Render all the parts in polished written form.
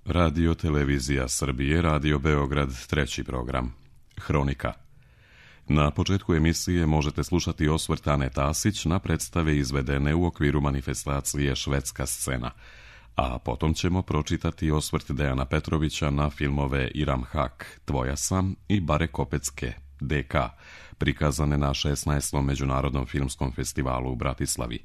Radio Televizija Srbije, Radio Beograd, treći program. Hronika. Na početku emisije možete slušati osvrt Ane Tasić na predstave izvedene u okviru manifestacije Švedska scena, a potom ćemo pročitati osvrt Dejana Petrovića na filmove Iram Hak, Tvoja sam i Bare Kopecke, DK, prikazane na 16. Međunarodnom filmskom festivalu u Bratislavi.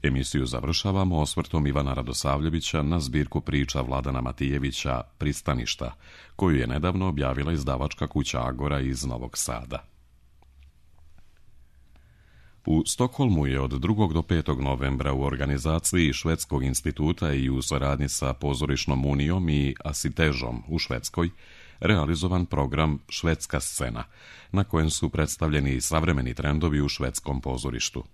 Emisiju završavamo osvrtom Ivana Radosavljevića na zbirku priča Vladana Matijevića Pristaništa, koju je nedavno objavila izdavačka kuća Agora iz Novog Sada. U Stokholmu je od 2. do 5. novembra u organizaciji Švedskog instituta i u saradnji sa Pozorišnom unijom i Asitežom u Švedskoj realizovan program Švedska scena, na kojem su predstavljeni savremeni trendovi u švedskom pozorištu.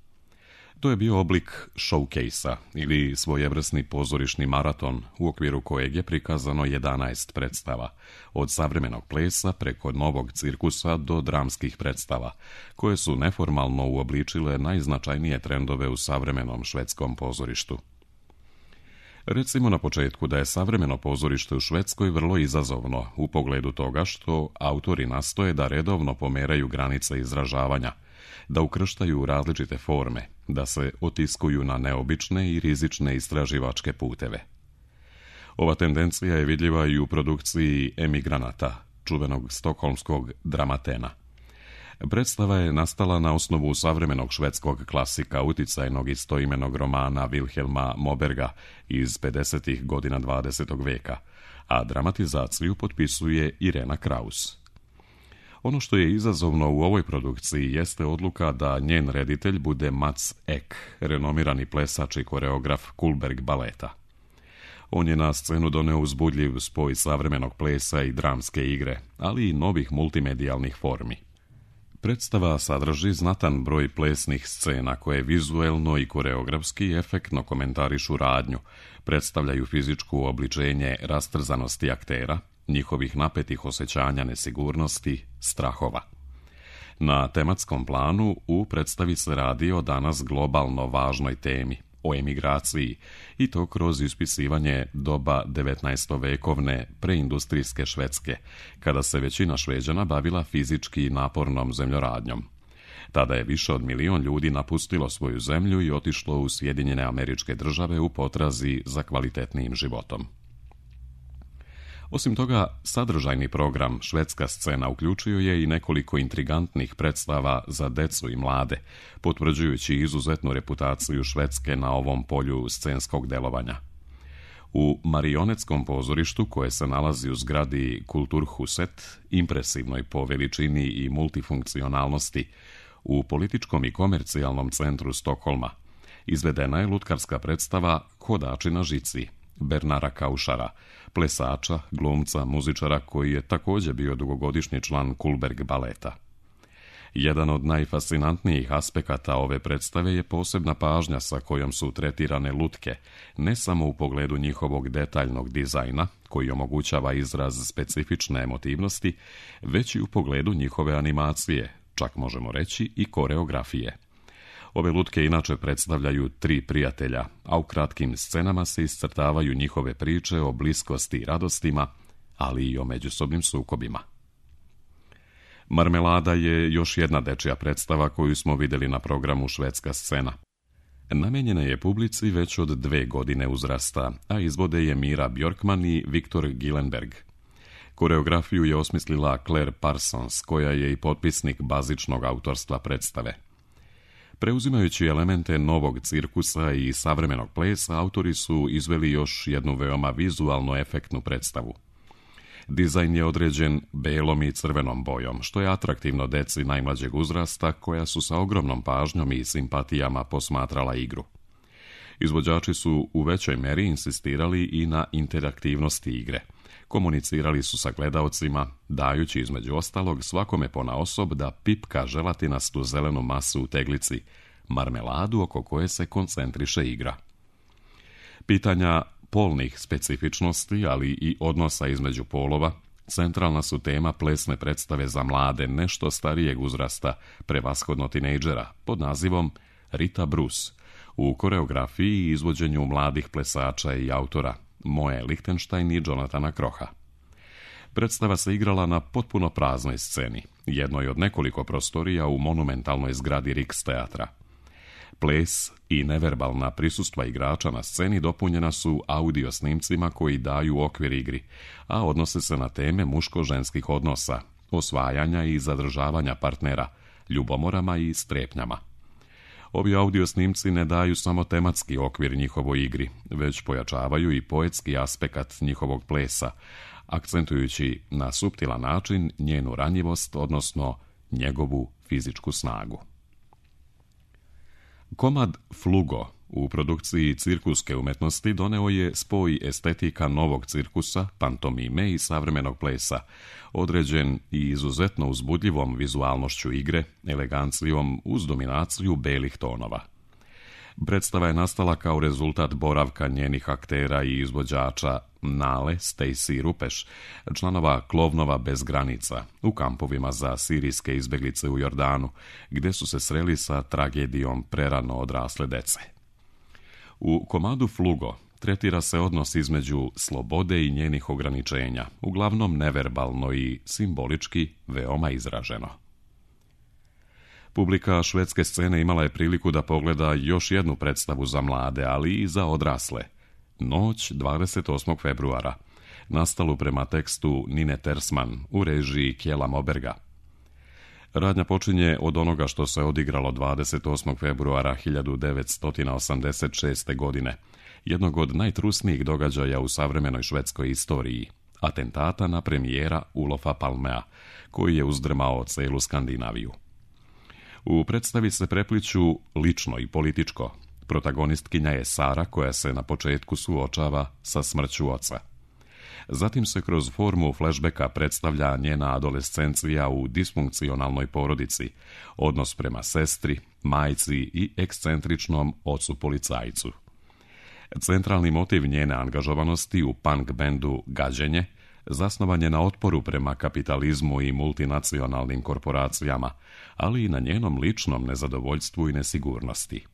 To je bio oblik showcase-a ili svojevrsni pozorišni maraton u okviru kojeg je prikazano 11 predstava, od savremenog plesa preko novog cirkusa do dramskih predstava, koje su neformalno uobličile najznačajnije trendove u savremenom švedskom pozorištu. Recimo na početku da je savremeno pozorište u Švedskoj vrlo izazovno u pogledu toga što autori nastoje da redovno pomeraju granice izražavanja, da ukrštaju različite forme, da se otiskuju na neobične i rizične istraživačke puteve. Ova tendencija je vidljiva i u produkciji Emigranata, čuvenog stokholmskog Dramatena. Predstava je nastala na osnovu savremenog švedskog klasika uticajnog istoimenog romana Vilhelma Moberga iz 50. godina 20. veka, a dramatizaciju potpisuje Irena Kraus. Ono što je izazovno u ovoj produkciji jeste odluka da njen reditelj bude Mats Ek, renomirani plesač i koreograf Kullberg baleta. On je na scenu doneo uzbudljiv spoj savremenog plesa i dramske igre, ali i novih multimedijalnih formi. Predstava sadrži znatan broj plesnih scena koje vizuelno i koreografski efektno komentarišu radnju, predstavljaju fizičko obličenje rastrzanosti aktera, njihovih napetih osjećanja nesigurnosti, strahova. Na tematskom planu u predstavi se radi o danas globalno važnoj temi, o emigraciji, i to kroz ispisivanje doba 19-vekovne preindustrijske Švedske, kada se većina Šveđana bavila fizički napornom zemljoradnjom. Tada je više od 1 milion ljudi napustilo svoju zemlju i otišlo u Sjedinjene Američke Države u potrazi za kvalitetnijim životom. Osim toga, sadržajni program Švedska scena uključio je i nekoliko intrigantnih predstava za decu i mlade, potvrđujući izuzetnu reputaciju Švedske na ovom polju scenskog delovanja. U marionetskom pozorištu, koje se nalazi u zgradi Kulturhuset, impresivnoj po veličini i multifunkcionalnosti, u političkom i komercijalnom centru Stokholma, izvedena je lutkarska predstava Hodači na žici Bernara Kaušara, plesača, glumca, muzičara koji je također bio dugogodišnji član Kullberg baleta. Jedan od najfascinantnijih aspekata ove predstave je posebna pažnja sa kojom su tretirane lutke, ne samo u pogledu njihovog detaljnog dizajna, koji omogućava izraz specifične emotivnosti, već i u pogledu njihove animacije, čak možemo reći i koreografije. Ove lutke inače predstavljaju 3 prijatelja, a u kratkim scenama se iscrtavaju njihove priče o bliskosti i radostima, ali i o međusobnim sukobima. Marmelada je još jedna dečija predstava koju smo vidjeli na programu Švedska scena. Namijenjena je publici već od 2 godine uzrasta, a izvode je Mira Bjorkman i Viktor Gillenberg. Koreografiju je osmislila Claire Parsons, koja je i potpisnik bazičnog autorstva predstave. Preuzimajući elemente novog cirkusa i savremenog plesa, autori su izveli još jednu veoma vizualno efektnu predstavu. Dizajn je određen belom i crvenom bojom, što je atraktivno deci najmlađeg uzrasta, koja su sa ogromnom pažnjom i simpatijama posmatrala igru. Izvođači su u većoj meri insistirali i na interaktivnosti igre. Komunicirali su sa gledaocima, dajući između ostalog svakome ponaosob da pipka želatinastu zelenu masu u teglici, marmeladu oko koje se koncentriše igra. Pitanja polnih specifičnosti, ali i odnosa između polova, centralna su tema plesne predstave za mlade, nešto starijeg uzrasta, prevashodno tinejdžera, pod nazivom Rita Bruce, u koreografiji i izvođenju mladih plesača i autora, Moe Lichtenstein i Jonathana Kroha. Predstava se igrala na potpuno praznoj sceni, jednoj od nekoliko prostorija u monumentalnoj zgradi Rijksteatra. Ples i neverbalna prisustva igrača na sceni dopunjena su audio snimcima koji daju okvir igri, a odnose se na teme muško-ženskih odnosa, osvajanja i zadržavanja partnera, ljubomorama i strepnjama. Ovi audio snimci ne daju samo tematski okvir njihovoj igri, već pojačavaju i poetski aspekt njihovog plesa, akcentujući na suptilan način njenu ranjivost, odnosno njegovu fizičku snagu. Komad Flugo u produkciji cirkuske umetnosti doneo je spoj estetika novog cirkusa, pantomime i savremenog plesa, određen i izuzetno uzbudljivom vizualnošću igre, elegancijom uz dominaciju belih tonova. Predstava je nastala kao rezultat boravka njenih aktera i izvođača Nale, Stacy i Rupeš, članova Klovnova bez granica, u kampovima za sirijske izbeglice u Jordanu, gdje su se sreli sa tragedijom prerano odrasle dece. U komadu Flugo tretira se odnos između slobode i njenih ograničenja, uglavnom neverbalno i simbolički veoma izraženo. Publika švedske scene imala je priliku da pogleda još jednu predstavu za mlade, ali i za odrasle, Noć 28. februara, nastalu prema tekstu Nine Tersman u režiji Kjela Moberga. Radnja počinje od onoga što se odigralo 28. februara 1986. godine, jednog od najtrusnijih događaja u savremenoj švedskoj istoriji, atentata na premijera Olofa Palmea, koji je uzdrmao celu Skandinaviju. U predstavi se prepliću lično i političko. Protagonistkinja je Sara, koja se na početku suočava sa smrću oca. Zatim se kroz formu flashbacka predstavlja njena adolescencija u disfunkcionalnoj porodici, odnos prema sestri, majci i ekscentričnom ocu policajcu. Centralni motiv njene angažovanosti u punk bendu Gađenje zasnovan je na otporu prema kapitalizmu i multinacionalnim korporacijama, ali i na njenom ličnom nezadovoljstvu i nesigurnosti.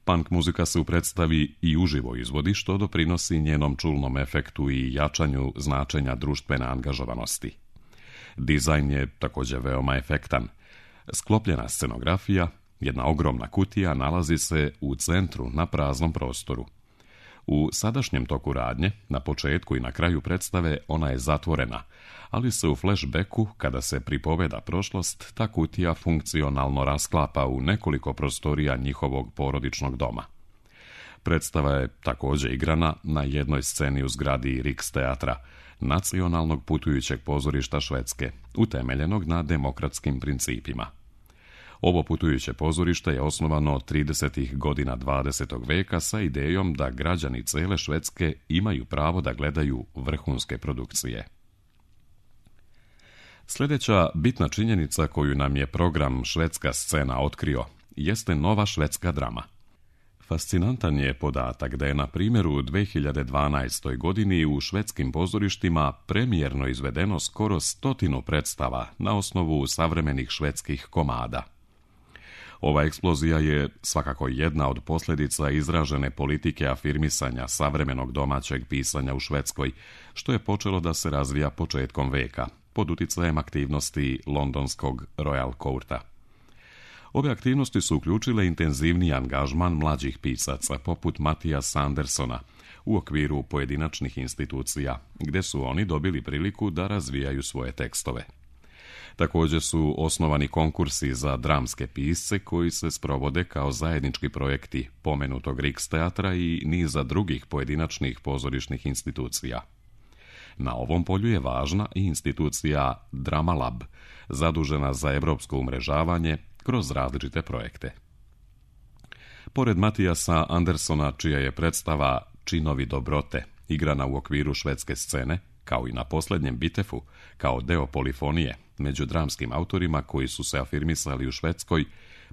Punk muzika se u predstavi i uživo izvodi, što doprinosi njenom čulnom efektu i jačanju značenja društvene angažovanosti. Dizajn je također veoma efektan. Sklopljena scenografija, jedna ogromna kutija, nalazi se u centru na praznom prostoru. U sadašnjem toku radnje, na početku i na kraju predstave, ona je zatvorena, ali se u flashbacku, kada se pripoveda prošlost, ta kutija funkcionalno rasklapa u nekoliko prostorija njihovog porodičnog doma. Predstava je također igrana na jednoj sceni u zgradi Rijksteatra, nacionalnog putujućeg pozorišta Švedske, utemeljenog na demokratskim principima. Ovo putujuće pozorište je osnovano 30. godina 20. veka sa idejom da građani cele Švedske imaju pravo da gledaju vrhunske produkcije. Sljedeća bitna činjenica koju nam je program Švedska scena otkrio jeste nova švedska drama. Fascinantan je podatak da je na primjer u 2012. godini u švedskim pozorištima premijerno izvedeno skoro 100 predstava na osnovu savremenih švedskih komada. Ova eksplozija je svakako jedna od posljedica izražene politike afirmisanja savremenog domaćeg pisanja u Švedskoj, što je počelo da se razvija početkom veka, pod utjecajem aktivnosti londonskog Royal Courta. Ove aktivnosti su uključile intenzivniji angažman mlađih pisaca, poput Mattiasa Andersona, u okviru pojedinačnih institucija, gdje su oni dobili priliku da razvijaju svoje tekstove. Također su osnovani konkursi za dramske pisce koji se sprovode kao zajednički projekti pomenutog Rijksteatra i niza drugih pojedinačnih pozorišnih institucija. Na ovom polju je važna i institucija Drama Lab, zadužena za europsko umrežavanje kroz različite projekte. Pored Mattiasa Andersona, čija je predstava Činovi dobrote igrana u okviru švedske scene, kao i na posljednjem Bitefu, kao deo polifonije, među dramskim autorima koji su se afirmisali u Švedskoj,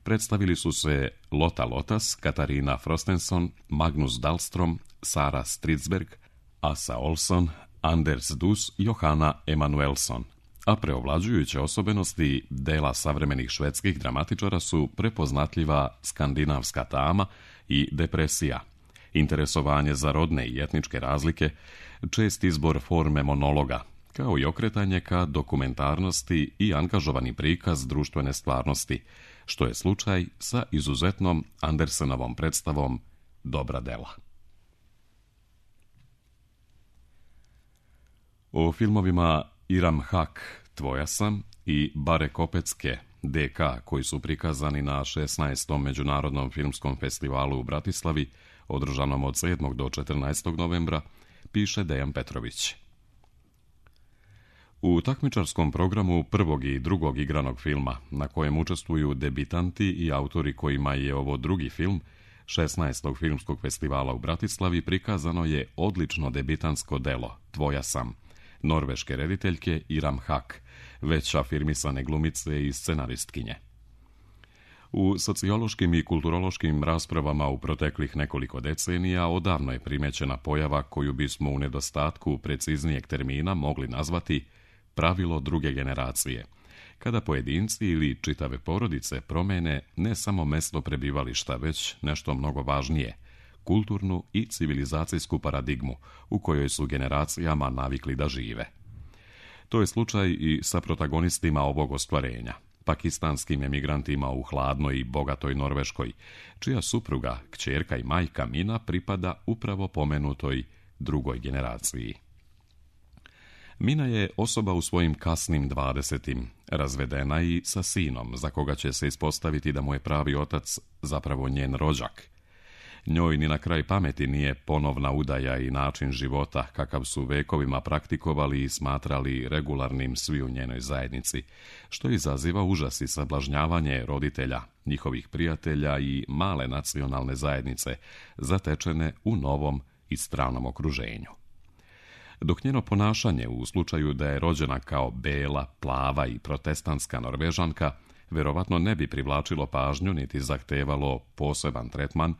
predstavili su se Lotta Lotas, Katarina Frostenson, Magnus Dahlström, Sara Stridsberg, Asa Olsson, Anders Dus i Johanna Emanuelsson, a preovlađujuće osobenosti dela savremenih švedskih dramatičara su prepoznatljiva skandinavska tama i depresija, interesovanje za rodne i etničke razlike, čest izbor forme monologa, kao i okretanje ka dokumentarnosti i angažovani prikaz društvene stvarnosti, što je slučaj sa izuzetnom Andersenovom predstavom Dobra dela. O filmovima Iram Hak, Tvoja sam i Bare Kopecke, DK, koji su prikazani na 16. Međunarodnom filmskom festivalu u Bratislavi, održanom od 7. do 14. novembra, piše Dejan Petrović. U takmičarskom programu prvog i drugog igranog filma, na kojem učestvuju debitanti i autori kojima je ovo drugi film, 16. filmskog festivala u Bratislavi, prikazano je odlično debitansko delo Tvoja sam, norveške rediteljke Iram Hak, već afirmisane glumice i scenaristkinje. U sociološkim i kulturološkim raspravama u proteklih nekoliko decenija odavno je primećena pojava koju bismo u nedostatku preciznijeg termina mogli nazvati pravilo druge generacije, kada pojedinci ili čitave porodice promene ne samo mesto prebivališta, već nešto mnogo važnije, kulturnu i civilizacijsku paradigmu u kojoj su generacijama navikli da žive. To je slučaj i sa protagonistima ovog ostvarenja, pakistanskim emigrantima u hladnoj i bogatoj Norveškoj, čija supruga, kćerka i majka Mina pripada upravo pomenutoj drugoj generaciji. Mina je osoba u svojim kasnim 20, razvedena i sa sinom, za koga će se ispostaviti da mu je pravi otac zapravo njen rođak. Njoj ni na kraj pameti nije ponovna udaja i način života kakav su vekovima praktikovali i smatrali regularnim svi u njenoj zajednici, što izaziva užas i sablažnjavanje roditelja, njihovih prijatelja i male nacionalne zajednice, zatečene u novom i stranom okruženju. Dok njeno ponašanje u slučaju da je rođena kao bela, plava i protestantska Norvežanka verovatno ne bi privlačilo pažnju niti zahtevalo poseban tretman,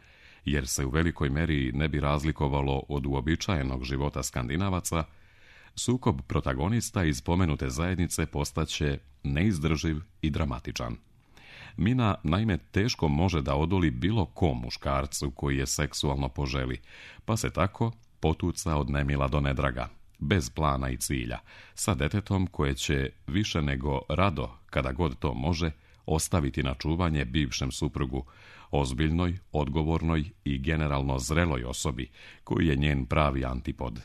jer se u velikoj meri ne bi razlikovalo od uobičajenog života Skandinavaca, sukob protagonista iz pomenute zajednice postaće neizdrživ i dramatičan. Mina naime teško može da odoli bilo kom muškarcu koji je seksualno poželi, pa se tako potuca od nemila do nedraga, bez plana i cilja, sa detetom koje će više nego rado, kada god to može, ostaviti na čuvanje bivšem suprugu, ozbiljnoj, odgovornoj i generalno zreloj osobi, koji je njen pravi antipod.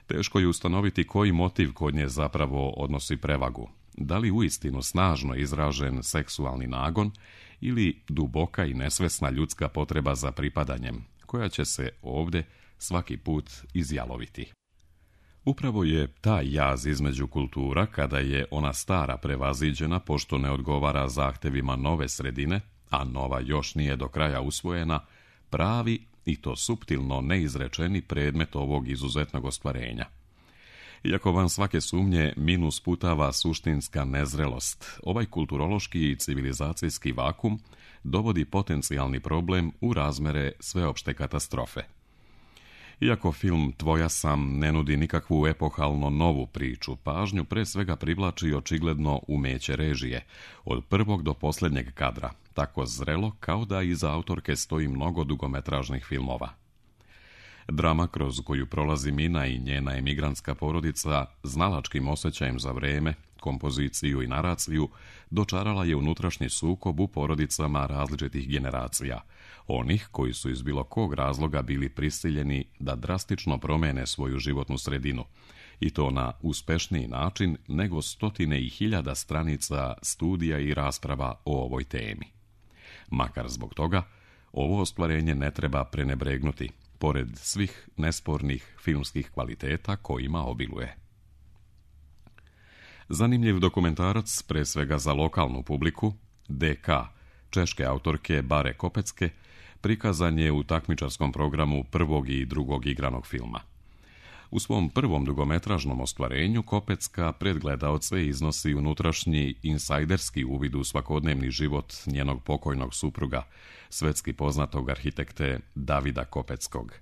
Teško je ustanoviti koji motiv kod nje zapravo odnosi prevagu, da li uistinu snažno izražen seksualni nagon ili duboka i nesvesna ljudska potreba za pripadanjem, koja će se ovdje svaki put izjaloviti. Upravo je taj jaz između kultura, kada je ona stara prevaziđena pošto ne odgovara zahtevima nove sredine, a nova još nije do kraja usvojena, pravi i to suptilno neizrečeni predmet ovog izuzetnog ostvarenja. Iako van svake sumnje Minu sputava suštinska nezrelost, ovaj kulturološki i civilizacijski vakum dovodi potencijalni problem u razmere sveopšte katastrofe. Iako film Tvoja sam ne nudi nikakvu epohalno novu priču, pažnju pre svega privlači očigledno umeće režije, od prvog do posljednjeg kadra, tako zrelo kao da iza autorke stoji mnogo dugometražnih filmova. Drama kroz koju prolazi Mina i njena emigrantska porodica, znalačkim osjećajem za vreme, kompoziciju i naraciju, dočarala je unutrašnji sukob u porodicama različitih generacija, onih koji su iz bilo kog razloga bili prisiljeni da drastično promene svoju životnu sredinu, i to na uspešniji način nego stotine i hiljada stranica studija i rasprava o ovoj temi. Makar zbog toga, ovo ostvarenje ne treba prenebregnuti, pored svih nespornih filmskih kvaliteta kojima obiluje. Zanimljiv dokumentarac, pre svega za lokalnu publiku, DK, češke autorke Bare Kopecke, prikazan je u takmičarskom programu prvog i drugog igranog filma. U svom prvom dugometražnom ostvarenju Kopecka pred gledaoce iznosi unutrašnji insajderski uvid u svakodnevni život njenog pokojnog supruga, svetski poznatog arhitekte Davida Kopeckog.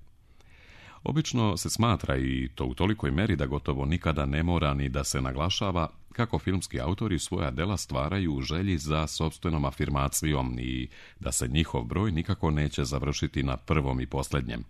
Obično se smatra, i to u tolikoj meri da gotovo nikada ne mora ni da se naglašava, kako filmski autori svoja dela stvaraju u želji za sopstvenom afirmacijom i da se njihov broj nikako neće završiti na prvom i posljednjem.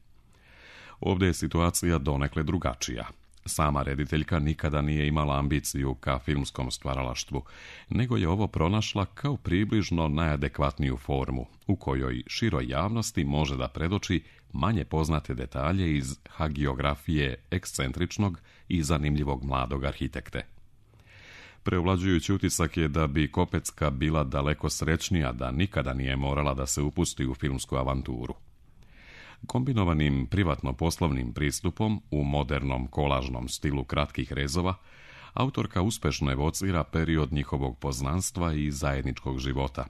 Ovdje je situacija donekle drugačija. Sama rediteljka nikada nije imala ambiciju ka filmskom stvaralaštvu, nego je ovo pronašla kao približno najadekvatniju formu, u kojoj široj javnosti može da predoči manje poznate detalje iz hagiografije ekscentričnog i zanimljivog mladog arhitekte. Preovlađujući utisak je da bi Kopecka bila daleko srećnija da nikada nije morala da se upusti u filmsku avanturu. Kombinovanim privatno-poslovnim pristupom u modernom kolažnom stilu kratkih rezova, autorka uspešno evocira period njihovog poznanstva i zajedničkog života,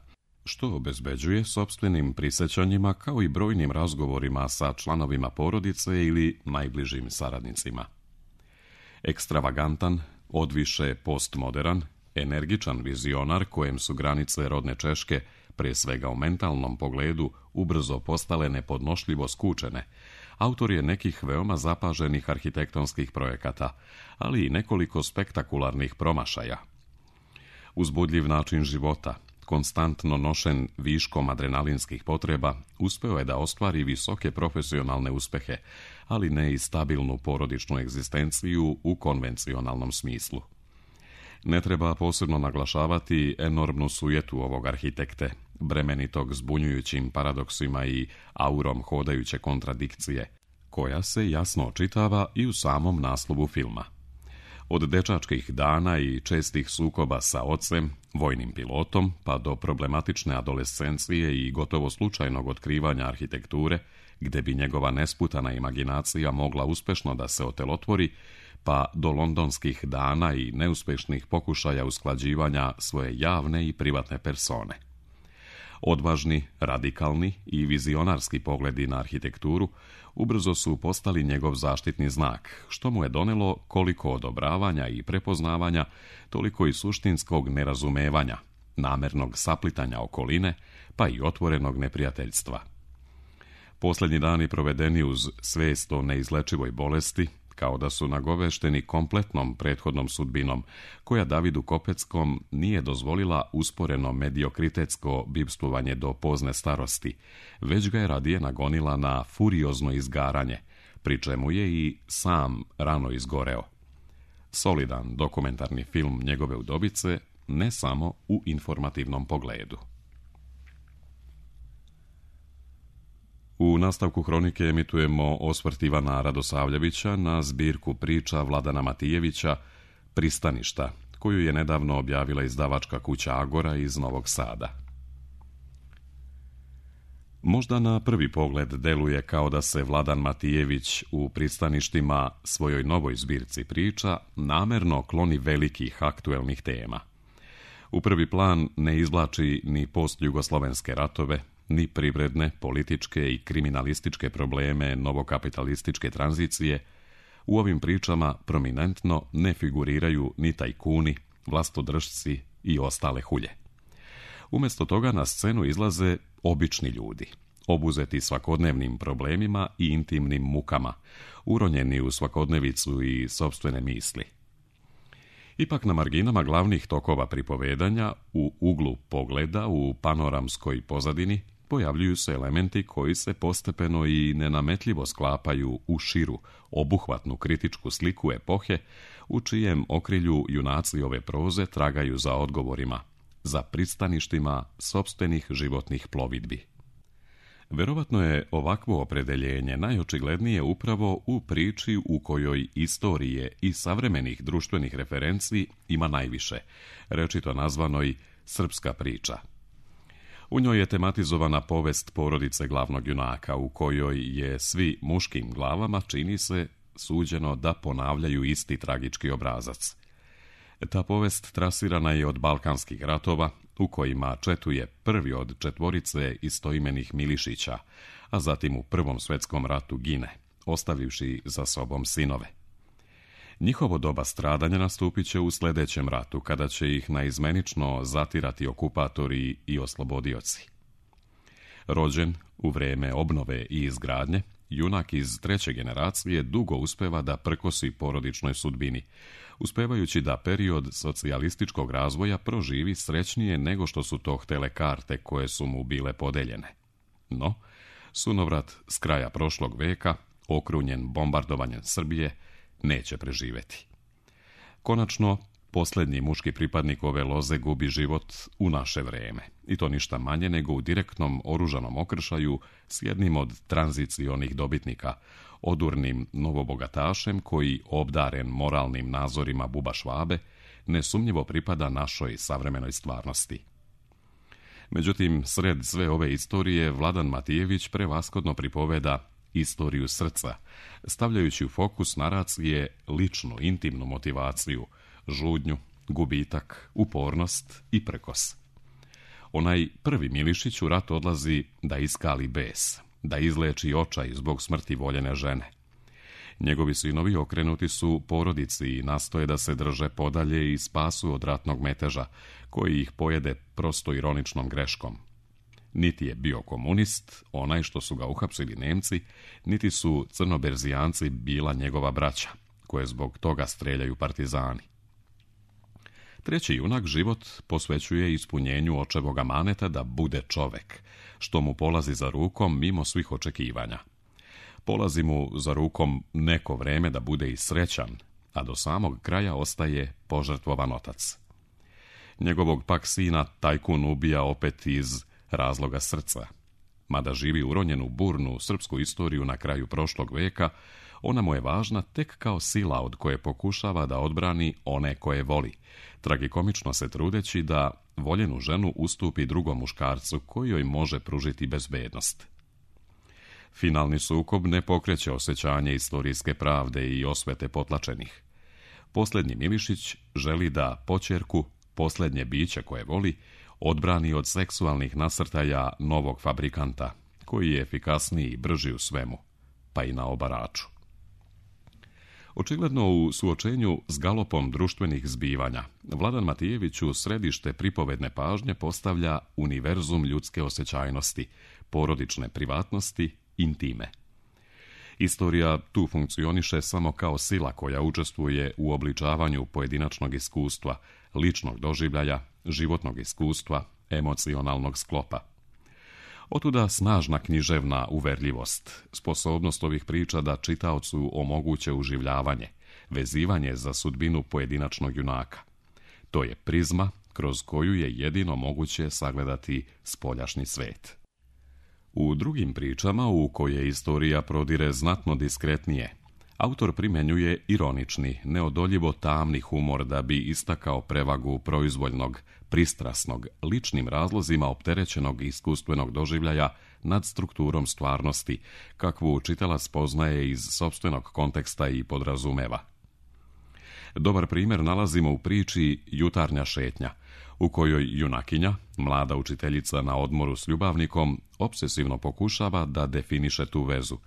što obezbeđuje sopstvenim prisjećanjima kao i brojnim razgovorima sa članovima porodice ili najbližim saradnicima. Ekstravagantan, odviše postmodern, energičan vizionar kojem su granice rodne Češke, prije svega u mentalnom pogledu, ubrzo postale nepodnošljivo skučene, autor je nekih veoma zapaženih arhitektonskih projekata, ali i nekoliko spektakularnih promašaja. Uzbudljiv način života, konstantno nošen viškom adrenalinskih potreba, uspeo je da ostvari visoke profesionalne uspehe, ali ne i stabilnu porodičnu egzistenciju u konvencionalnom smislu. Ne treba posebno naglašavati enormnu sujetu ovog arhitekte, bremenitog zbunjujućim paradoksima i aurom hodajuće kontradikcije, koja se jasno očitava i u samom naslovu filma. Od dečačkih dana i čestih sukoba sa ocem, vojnim pilotom, pa do problematične adolescencije i gotovo slučajnog otkrivanja arhitekture, gde bi njegova nesputana imaginacija mogla uspešno da se otelotvori, pa do londonskih dana i neuspešnih pokušaja usklađivanja svoje javne i privatne persone. Odvažni, radikalni i vizionarski pogledi na arhitekturu ubrzo su postali njegov zaštitni znak, što mu je donelo koliko odobravanja i prepoznavanja, toliko i suštinskog nerazumevanja, namernog saplitanja okoline, pa i otvorenog neprijateljstva. Posljednji dani provedeni uz svest o neizlečivoj bolesti, kao da su nagovešteni kompletnom prethodnom sudbinom, koja Davidu Kopeckom nije dozvolila usporeno mediokritetsko bivstvovanje do pozne starosti, već ga je radije nagonila na furiozno izgaranje, pri čemu je i sam rano izgoreo. Solidan dokumentarni film njegove udobice, ne samo u informativnom pogledu. U nastavku hronike emitujemo osvrt Ivana Radosavljevića na zbirku priča Vladana Matijevića Pristaništa, koju je nedavno objavila izdavačka kuća Agora iz Novog Sada. Možda na prvi pogled deluje kao da se Vladan Matijević u Pristaništima, svojoj novoj zbirci priča, namerno kloni velikih aktuelnih tema. U prvi plan ne izvlači ni postjugoslovenske ratove, ni privredne, političke i kriminalističke probleme novokapitalističke tranzicije. U ovim pričama prominentno ne figuriraju ni tajkuni, vlastodržci i ostale hulje. Umjesto toga na scenu izlaze obični ljudi, obuzeti svakodnevnim problemima i intimnim mukama, uronjeni u svakodnevicu i sopstvene misli. Ipak na marginama glavnih tokova pripovedanja, u uglu pogleda, u panoramskoj pozadini, pojavljuju se elementi koji se postepeno i nenametljivo sklapaju u širu, obuhvatnu kritičku sliku epohe, u čijem okrilju junaci ove proze tragaju za odgovorima, za pristaništima sopstvenih životnih plovidbi. Verovatno je ovakvo opredeljenje najočiglednije upravo u priči u kojoj istorije i savremenih društvenih referenci ima najviše, rečito nazvanoj Srpska priča. U njoj je tematizovana povest porodice glavnog junaka, u kojoj je svi muškim glavama, čini se, suđeno da ponavljaju isti tragički obrazac. Ta povest trasirana je od balkanskih ratova, u kojima četuje prvi od četvorice istoimenih Milišića, a zatim u Prvom svjetskom ratu gine, ostavivši za sobom sinove. Njihovo doba stradanja nastupit će u sljedećem ratu, kada će ih naizmenično zatirati okupatori i oslobodioci. Rođen u vrijeme obnove i izgradnje, junak iz treće generacije dugo uspeva da prkosi porodičnoj sudbini, uspevajući da period socijalističkog razvoja proživi srećnije nego što su to htele karte koje su mu bile podeljene. No, sunovrat s kraja prošlog veka, okrunjen bombardovanjem Srbije, neće preživeti. Konačno, posljednji muški pripadnik ove loze gubi život u naše vreme, i to ništa manje nego u direktnom oružanom okršaju s jednim od tranzicionih dobitnika, odurnim novobogatašem koji, obdaren moralnim nazorima buba Švabe, nesumnjivo pripada našoj savremenoj stvarnosti. Međutim, sred sve ove istorije Vladan Matijević prevashodno pripoveda istoriju srca, stavljajući u fokus naracije ličnu, intimnu motivaciju, žudnju, gubitak, upornost i prkos. Onaj prvi Milišić u rat odlazi da iskali bes, da izleči očaj zbog smrti voljene žene. Njegovi sinovi okrenuti su porodici i nastoje da se drže podalje i spasu od ratnog meteža, koji ih pojede prosto ironičnom greškom. Niti je bio komunist, onaj što su ga uhapsili Nemci, niti su crnoberzijanci bila njegova braća, koje zbog toga streljaju partizani. Treći junak život posvećuje ispunjenju očevog amaneta da bude čovek, što mu polazi za rukom mimo svih očekivanja. Polazi mu za rukom neko vreme da bude i srećan, a do samog kraja ostaje požrtvovan otac. Njegovog pak sina tajkun ubija opet iz razloga srca. Mada živi uronjenu burnu srpsku istoriju na kraju prošlog veka, ona mu je važna tek kao sila od koje pokušava da odbrani one koje voli, tragikomično se trudeći da voljenu ženu ustupi drugom muškarcu koji joj može pružiti bezbednost. Finalni sukob ne pokreće osjećanje istorijske pravde i osvete potlačenih. Posljednji Milišić želi da poćerku, posljednje biće koje voli, odbrani od seksualnih nasrtaja novog fabrikanta, koji je efikasniji i brži u svemu, pa i na obaraču. Očigledno u suočenju s galopom društvenih zbivanja, Vladan Matijević u središte pripovedne pažnje postavlja univerzum ljudske osjećajnosti, porodične privatnosti, intime. Istorija tu funkcioniše samo kao sila koja učestvuje u obličavanju pojedinačnog iskustva, ličnog doživljaja, životnog iskustva, emocionalnog sklopa. Otuda snažna književna uverljivost, sposobnost ovih priča da čitaocu omoguće uživljavanje, vezivanje za sudbinu pojedinačnog junaka. To je prizma kroz koju je jedino moguće sagledati spoljašnji svet. U drugim pričama, u koje istorija prodire znatno diskretnije, autor primjenjuje ironični, neodoljivo tamni humor da bi istakao prevagu proizvoljnog, pristrasnog, ličnim razlozima opterećenog iskustvenog doživljaja nad strukturom stvarnosti, kakvu čitalac spoznaje iz sopstvenog konteksta i podrazumeva. Dobar primjer nalazimo u priči Jutarnja šetnja, u kojoj junakinja, mlada učiteljica na odmoru s ljubavnikom, opsesivno pokušava da definiše tu vezu,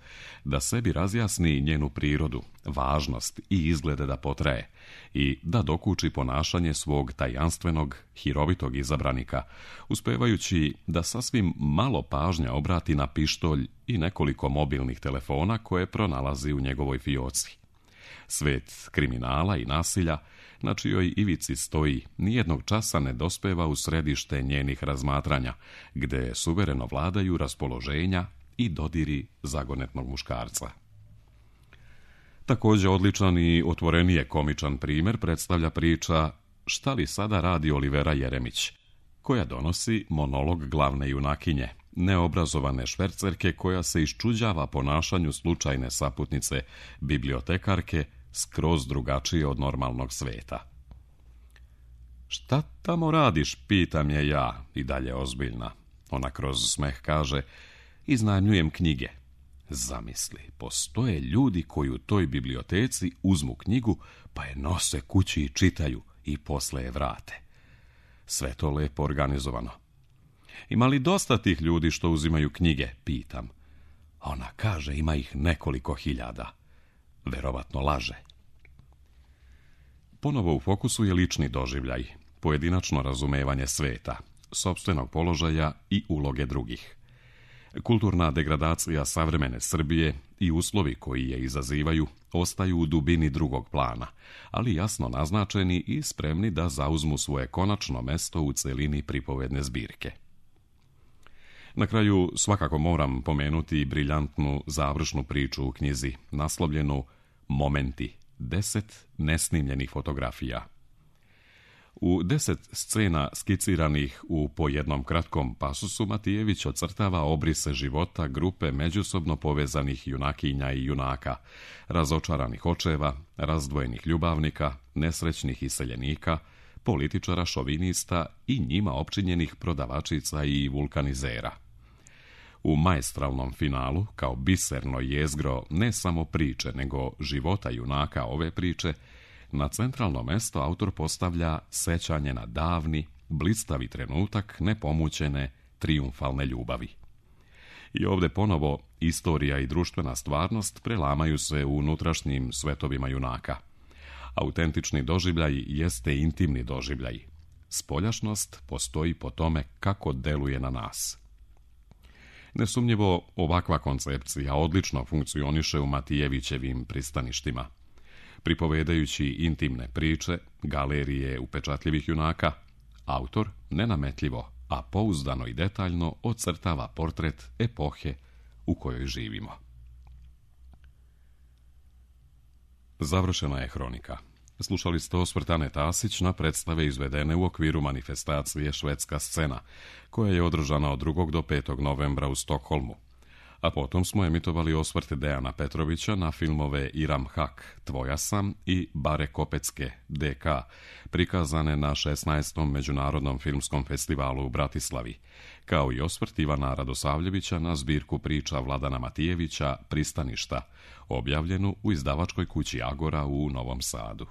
da sebi razjasni njenu prirodu, važnost i izglede da potraje i da dokuči ponašanje svog tajanstvenog, hirovitog izabranika, uspevajući da sasvim malo pažnja obrati na pištolj i nekoliko mobilnih telefona koje pronalazi u njegovoj fioci. Svet kriminala i nasilja, na čijoj ivici stoji, nijednog časa ne dospeva u središte njenih razmatranja, gde suvereno vladaju raspoloženja i dodiri zagonetnog muškarca. Također odličan i otvorenije komičan primjer predstavlja priča Šta li sada radi Olivera Jeremić, koja donosi monolog glavne junakinje, neobrazovane švercerke koja se iščuđava ponašanju slučajne saputnice, bibliotekarke, skroz drugačije od normalnog sveta. Šta tamo radiš, pitam je ja, i dalje ozbiljna. Ona kroz smeh kaže, iznajmljujem knjige. Zamisli, postoje ljudi koji u toj biblioteci uzmu knjigu, pa je nose kući i čitaju i posle je vrate. Sve to lepo organizovano. Ima li dosta tih ljudi što uzimaju knjige, pitam. Ona kaže, ima ih nekoliko hiljada. Verovatno laže. Ponovo u fokusu je lični doživljaj, pojedinačno razumevanje sveta, sopstvenog položaja i uloge drugih. Kulturna degradacija savremene Srbije i uslovi koji je izazivaju ostaju u dubini drugog plana, ali jasno naznačeni i spremni da zauzmu svoje konačno mesto u celini pripovedne zbirke. Na kraju svakako moram pomenuti briljantnu završnu priču u knjizi, naslovljenu Momenti, 10 nesnimljenih fotografija. U 10 scena skiciranih u po jednom kratkom pasusu Matijević ocrtava obrise života grupe međusobno povezanih junakinja i junaka, razočaranih očeva, razdvojenih ljubavnika, nesrećnih iseljenika, političara šovinista i njima opčinjenih prodavačica i vulkanizera. U maestralnom finalu, kao biserno jezgro ne samo priče, nego života junaka ove priče, na centralno mesto autor postavlja sećanje na davni, blistavi trenutak nepomućene, trijumfalne ljubavi. I ovdje ponovo istorija i društvena stvarnost prelamaju se u unutrašnjim svetovima junaka. Autentični doživljaj jeste intimni doživljaj. Spoljašnost postoji po tome kako deluje na nas. Nesumnjivo, ovakva koncepcija odlično funkcioniše u Matijevićevim pristaništima. Pripovedajući intimne priče, galerije upečatljivih junaka, autor nenametljivo, a pouzdano i detaljno ocrtava portret epohe u kojoj živimo. Završena je hronika. Slušali ste osvrt Ane Tasić na predstave izvedene u okviru manifestacije Švedska scena, koja je održana od 2. do 5. novembra u Stokholmu. A potom smo emitovali osvrt Dejana Petrovića na filmove Iram Hak, Tvoja sam i Bare Kopecke, DK, prikazane na 16. Međunarodnom filmskom festivalu u Bratislavi, kao i osvrt Ivana Radosavljevića na zbirku priča Vladana Matijevića Pristaništa, objavljenu u izdavačkoj kući Agora u Novom Sadu.